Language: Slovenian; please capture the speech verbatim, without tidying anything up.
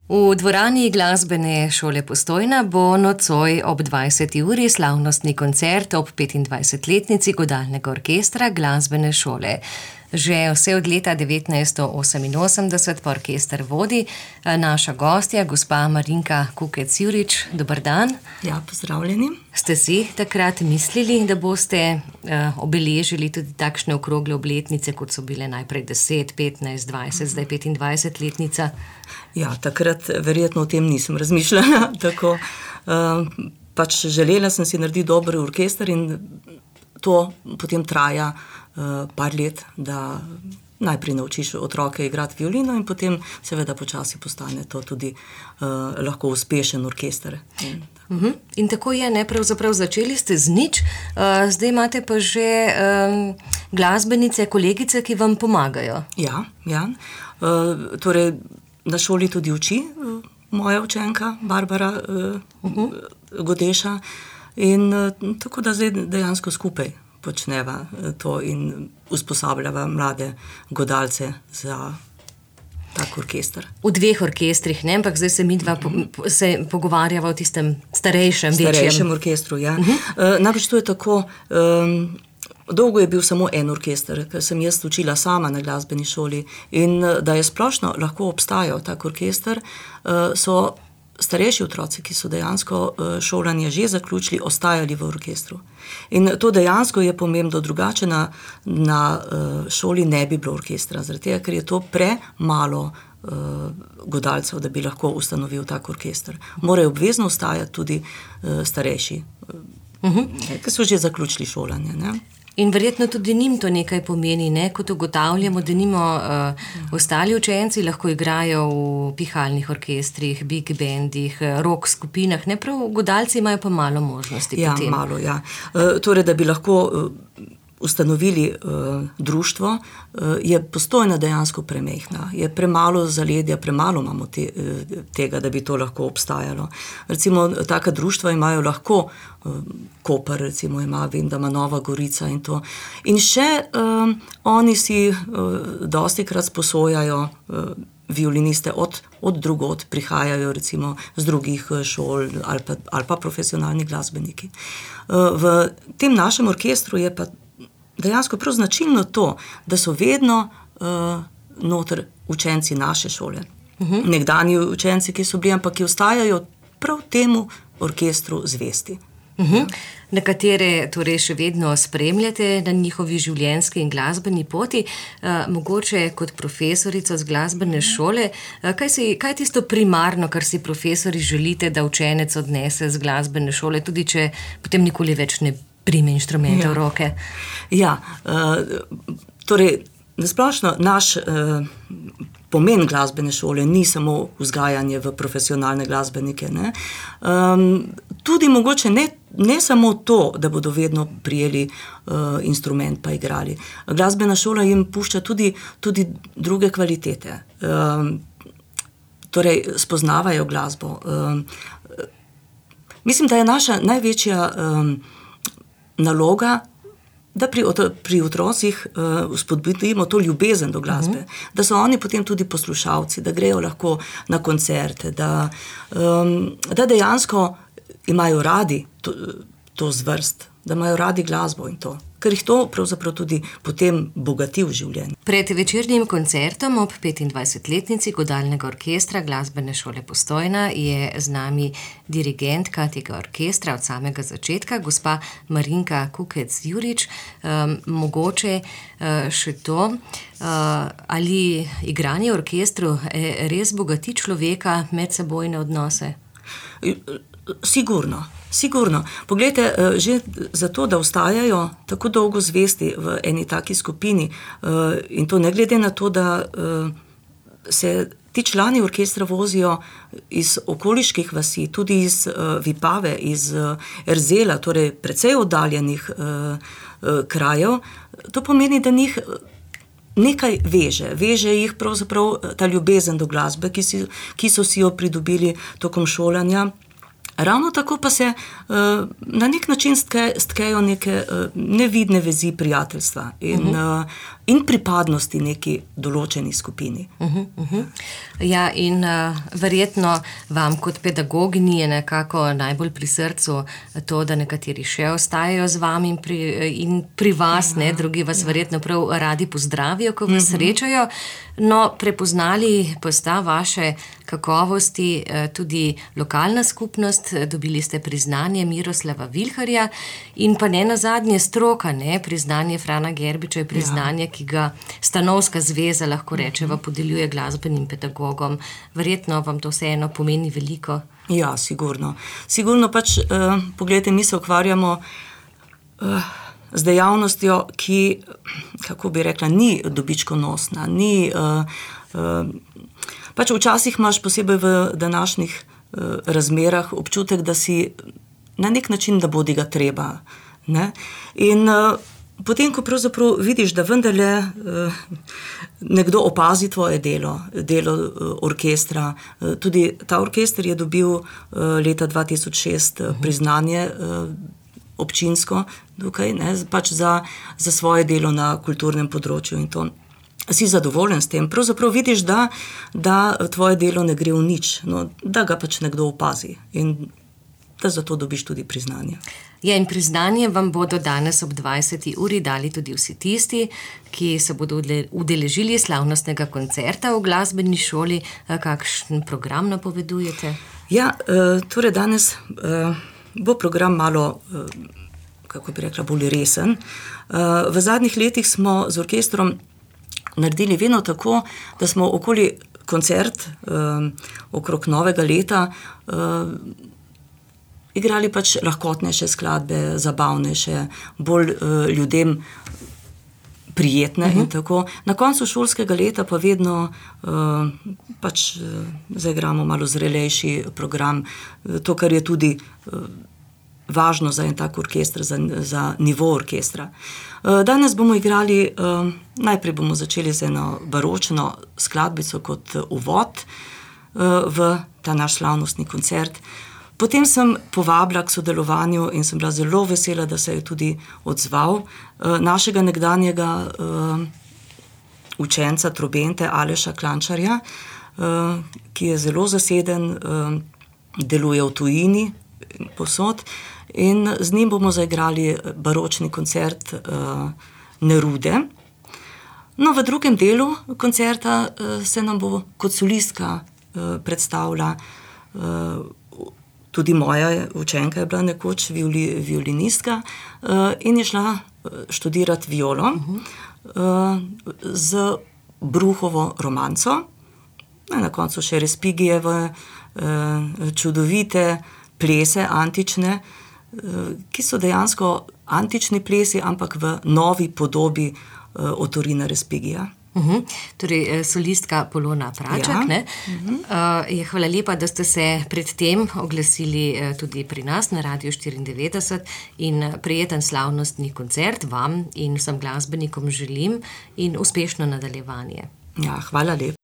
V dvorani glasbene šole Postojna bo nocoj ob dvajseti uri slavnostni koncert ob petindvajsetletnici godalnega orkestra glasbene šole. Že vse od leta devetnajststo oseminosemdeset pa orkester vodi naša gostja, gospa Marinka Kukec-Jurič. Dober dan. Ja, pozdravljeni. Ste si takrat mislili, da boste uh, obeležili tudi takšne okrogle obletnice, kot so bile najprej deset, petnajst, dvajset, zdaj petindvajsetletnica? Ja, takrat verjetno o tem nisem razmišljala. Tako, uh, pač želela sem si narediti dober orkester in to potem traja uh, par let, da najprej naučiš otroke igrati violino in potem seveda počasi postane to tudi uh, lahko uspešen orkester. In, uh-huh. in tako je, ne, pravzaprav začeli ste z nič, uh, zdaj imate pa že um, glasbenice, kolegice, ki vam pomagajo. Ja, ja. Uh, torej na šoli tudi uči uh, moja učenka Barbara uh, uh-huh. Godeša in uh, tako da zdaj dejansko skupaj počneva to in usposabljava mlade godalce za tak orkester. V dveh orkestrih, ne? Ampak zdaj se mi dva po, se pogovarjava o tistem starejšem, večjem. Starejšem orkestru, ja. Uh-huh. Uh, namreč to je tako, um, dolgo je bil samo en orkester, ker sem jaz učila sama na glasbeni šoli in da je splošno lahko obstajal tak orkester, uh, so starejši otroci, ki so dejansko šolanje že zaključili, ostajali v orkestru. In to dejansko je pomembno, drugače na, na šoli ne bi bilo orkestra, zaradi tega, ker je to premalo uh, godalcev, da bi lahko ustanovil tak orkester. Morajo obvezno ostajati tudi uh, starejši, uh-huh. ki so že zaključili šolanje, ne? In verjetno tudi njim to nekaj pomeni, ne? Kot ugotavljamo, da nimo uh, ostali učenci lahko igrajo v pihalnih orkestrih, big bandih, rock skupinah, ne, prav godalci imajo pa malo možnosti. Ja, potem. malo, ja. Uh, torej, da bi lahko uh, ustanovili uh, društvo, uh, je Postojna dejansko premehna. Je premalo zaledja, premalo imamo te, uh, tega, da bi to lahko obstajalo. Recimo, taka društva imajo lahko uh, Koper, recimo ima, vem, da ima Nova Gorica in to. In še um, oni si uh, dostikrat sposojajo uh, violiniste od, od drugod, prihajajo recimo z drugih šol ali pa, ali pa profesionalni glasbeniki. Uh, v tem našem orkestru je pa dejansko prav značilno to, da so vedno uh, noter učenci naše šole. Uh-huh. Nekdanji učenci, ki so bili, ampak ki ostajajo prav temu orkestru zvesti. Uh-huh. Nekatere torej še vedno spremljate na njihovi življenjski in glasbeni poti, uh, mogoče kot profesorica z glasbene šole. Uh, kaj, si, kaj je tisto primarno, kar si profesori želite, da učenec odnese z glasbene šole, tudi če potem nikoli več ne prime inštrumente ja. v roke? Ja, uh, torej, nasplošno naš uh, pomen glasbene šole ni samo vzgajanje v profesionalne glasbenike, ne? Um, tudi mogoče ne, ne samo to, da bodo vedno prijeli uh, instrument pa igrali. Glasbena šola jim pušča tudi, tudi druge kvalitete. Um, torej, spoznavajo glasbo. Um, mislim, da je naša največja um, naloga, da pri, pri otrocih uh, spodbudimo to ljubezen do glasbe, uh-huh. da so oni potem tudi poslušalci, da grejo lahko na koncerte, da, um, da dejansko imajo radi to, to zvrst, da imajo radi glasbo in to, ker jih to pravzaprav tudi potem bogati v življenju. Pred večernim koncertom ob petindvajsetletnici godalnega orkestra glasbene šole Postojna je z nami dirigentka tega orkestra od samega začetka, gospa Marinka Kukec-Jurič. Um, mogoče uh, še to, uh, ali igranje v orkestru res bogati človeka medsebojne odnose? Sigurno. Sigurno. Poglejte, že zato, da ostajajo tako dolgo zvesti v eni taki skupini in to ne glede na to, da se ti člani orkestra vozijo iz okoliških vasi, tudi iz Vipave, iz Erzela, torej precej oddaljenih krajev, to pomeni, da njih nekaj veže. Veže jih pravzaprav ta ljubezen do glasbe, ki, si, ki so si jo pridobili tokom šolanja. Ravno tako pa se uh, na nek način stke, stkejo neke uh, nevidne vezi prijateljstva. In uh, in pripadnosti neki določeni skupini. Uh-huh, uh-huh. Ja, in uh, verjetno vam kot pedagoginji je nekako najbolj pri srcu to, da nekateri še ostajajo z vami in pri, in pri vas, ja, ne, drugi vas ja. verjetno prav radi pozdravijo, ko vas uh-huh. srečajo. No, prepoznali pa sta vaše kakovosti tudi lokalna skupnost, dobili ste priznanje Miroslava Vilharja in pa ne nazadnje stroka, ne, priznanje Frana Gerbiča je priznanje, ja. ki ga Stanovska zveza, lahko rečeva, podeljuje glasbenim pedagogom. Verjetno vam to vseeno pomeni veliko. Ja, sigurno. Sigurno pač, eh, pogledajte, mi se ukvarjamo eh, z dejavnostjo, ki, kako bi rekla, ni dobičkonosna, ni, uh, uh, pač včasih imaš posebej v današnjih uh, razmerah občutek, da si na nek način, da bodi ga treba, ne? In uh, potem, ko pravzaprav vidiš, da vendarle uh, nekdo opazi tvoje delo, delo uh, orkestra, uh, tudi ta orkester je dobil uh, leta dva tisoč šest uh, priznanje uh, občinsko, tukaj, ne, pač za, za svoje delo na kulturnem področju in to. Si zadovoljen s tem. Pravzaprav vidiš, da, da tvoje delo ne gre v nič, no, da ga pač nekdo opazi in da zato dobiš tudi priznanje. Ja, in priznanje vam bodo danes ob dvajseti uri dali tudi vsi tisti, ki se bodo udeležili slavnostnega koncerta v glasbeni šoli. Kakšen program napovedujete? Ja, torej danes bo program malo, kako bi rekla, bolj resen. V zadnjih letih smo z orkestrom naredili vedno tako, da smo okoli koncert, okrog novega leta, igrali pač lahkotnejše skladbe, zabavnejše, bolj ljudem prijetne uh-huh. in tako. Na koncu šolskega leta pa vedno uh, pač uh, zaigramo malo zrelejši program, to, kar je tudi uh, važno za en tak orkester, za, za nivo orkestra. Uh, danes bomo igrali, uh, najprej bomo začeli z eno baročno skladbico kot uvod uh, v ta naš slavnostni koncert. Potem sem povabila k sodelovanju in sem bila zelo vesela, da se je tudi odzval uh, našega nekdanjega uh, učenca trobente Aleša Klančarja, uh, ki je zelo zaseden, uh, deluje v tujini posod in z njim bomo zaigrali baročni koncert uh, Nerude. No, v drugem delu koncerta uh, se nam bo kot solistka uh, predstavila uh, tudi moja učenka je bila nekoč violi, violinistka uh, in je šla študirati violo uh, z Bruhovo romanco. Na koncu še Respigijeve uh, čudovite plese antične, uh, ki so dejansko antični plesi, ampak v novi podobi uh, Otorina Respigija. Uhum. Torej, solistka Polona Pračak, ja. ne? Uhum. Uh, je hvala lepa, da ste se pred tem oglasili uh, tudi pri nas na Radiu štiriindevetdeset in prijeten slavnostni koncert vam in vsem glasbenikom želim in uspešno nadaljevanje. Ja, hvala lepa.